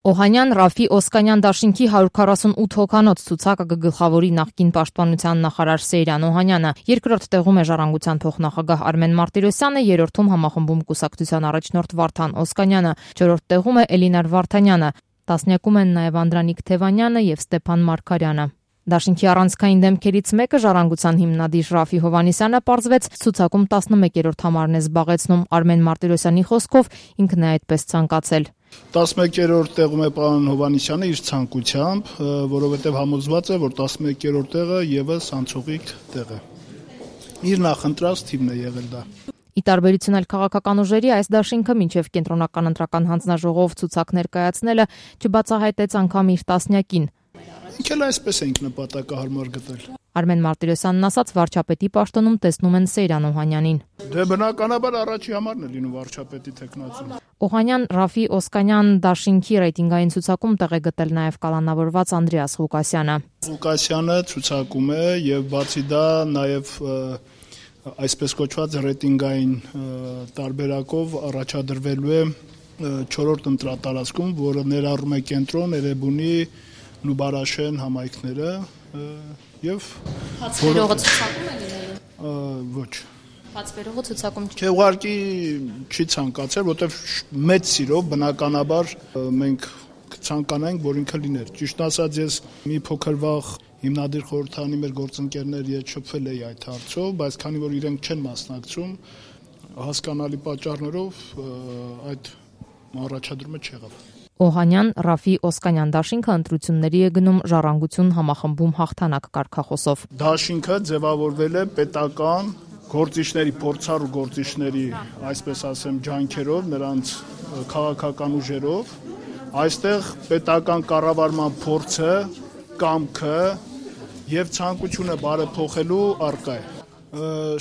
Օհանյան Ռաֆի Օսկանյան դաշինքի 148 հոգանոց ցուցակը կգլխավորի նախկին պաշտպանության նախարար Սեյրան Օհանյանը, երկրորդ տեղում է Ժառանգության փոխնախագահ Արմեն Մարտիրոսյանը, երրորդում համախմբում կուսակցության առաջնորդ Վարդան Օսկանյանը, չորրորդ տեղում է Էլինար Վարդանյանը, տասնյակում են նաև Անդրանիկ Թևանյանը եւ Ստեփան Մարգարյանը։ Դաշինքի առանցքային դեմքերից մեկը Ժառանգության հիմնադիր Ռաֆի Հովհաննիսյանը պարզվեց ցուցակում 11-րդ համարն է զբաղեցնում։ Արմեն Մարտիրոսյանի խոսքով ինքն է այդպես ցանկացել։ 11-րդ տեղում է պարոն Հովհաննիսյանը իր ցանկությամբ, որովհետև համոզված է, որ 11-րդ տեղը եւս անցողիկ տեղ է։ Իր նախընտրած թիմն է եղել դա։ Ի տարբերություն այլ քաղաքական ուժերի, այս դաշինքը մինչև կենտրոնական ընտրական հանձնաժողով ցուցակ ներկայացնելը չբացահայտեց անգամ իր տասնյակին։ Ինքն էլ այսպես ենք նպատակահարմար գտել։ Արմեն Մարտիրոսյանն ասաց, վարչապետի պաշտոնում տեսնում են Սեյրան Օհանյանին։ Դե բնականաբար առաջի համարն է լինում վարչապետի թեկնածուն։ Օհանյան Ռաֆի Օսկանյան դաշինքի ռեյտինգային ցուցակում տեղ է գտել նաև կալանավորված Անդրեաս Ղուկասյանը։ Ղուկասյանը ցուցակում է եւ բացի դա նաև այսպես կոչված ռեյտինգային տարբերակով առաջադրվելու է 4-րդ ընտրատարածքում, որը ներառում է Կենտրոն, Էրեբունի, Նուբարաշեն համայնքները եւ Հացվերողը ցուցակում է լինելու։ Ոչ։ Հացվերողը ցուցակում չէ, ուղղակի չի ցանկացել, որտեվ մեծ սիրով բնականաբար մենք կցանկանայինք, որ ինքը լիներ։ Ճիշտ ասած, ես մի փոքր վաղ հիմնադիր խորհրդարանի մեր գործընկերների հետ շփվել էի այդ հարցով, բայց քանի որ իրենք չեն մասնակցում, հասկանալի պատճառներով այդ առաջադրումը չեղավ։ Օհանյան Ռաֆի Օսկանյան դաշինքը ընտրությունների է գնում Ժառանգություն համախմբում հաղթանակ կարգախոսով։ Դաշինքը ձևավորվել է պետական գործիչների, փորձառու գործիչների, այսպես ասեմ, ջանքերով, նրանց քաղաքական ուժերով, այստեղ պետական կառավարման փորձը, կամքը եւ ցանկությունը բարեփոխելու առկա է։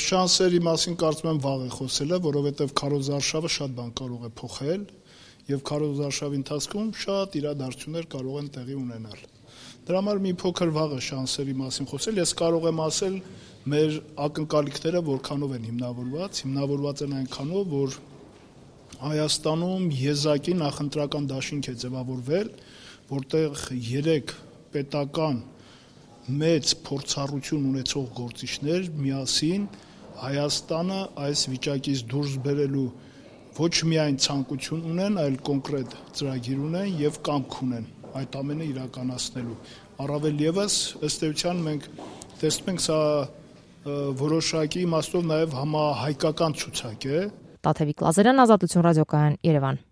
Շանսերի մասին կարծում եմ վաղ է խոսելը, որովհետեւ քարոզարշավը շատ բան կարող է փոխել եւ քարոզարշավի ընթացքում շատ իրադարձություններ կարող են տեղի ունենալ։ Դրա համար մի փոքր վաղ է շանսերի մասին խոսել, ես կարող եմ ասել մեր ակնկալիքները որքանով են հիմնավորված են այնքանով, որ Հայաստանում եզակի նախընտրական դաշինք է ձևավորվել, որտեղ 3 պետական մեծ փորձառություն ունեցող գործիչներ միասին Հայաստանը այս վիճակից դուրս բերելու ոչ միայն ցանկություն ունեն, այլ կոնկրետ ծրագիր ունեն եւ կամք ունեն այդ ամենը իրականացնելու։ Առավել եւս ըստ էության մենք տեսնում ենք սա որոշակի իմաստով նաեւ համահայկական ցուցակ է։ Տաթևիկ Լազարյան, Ազատություն ռադիոկայան, Երևան։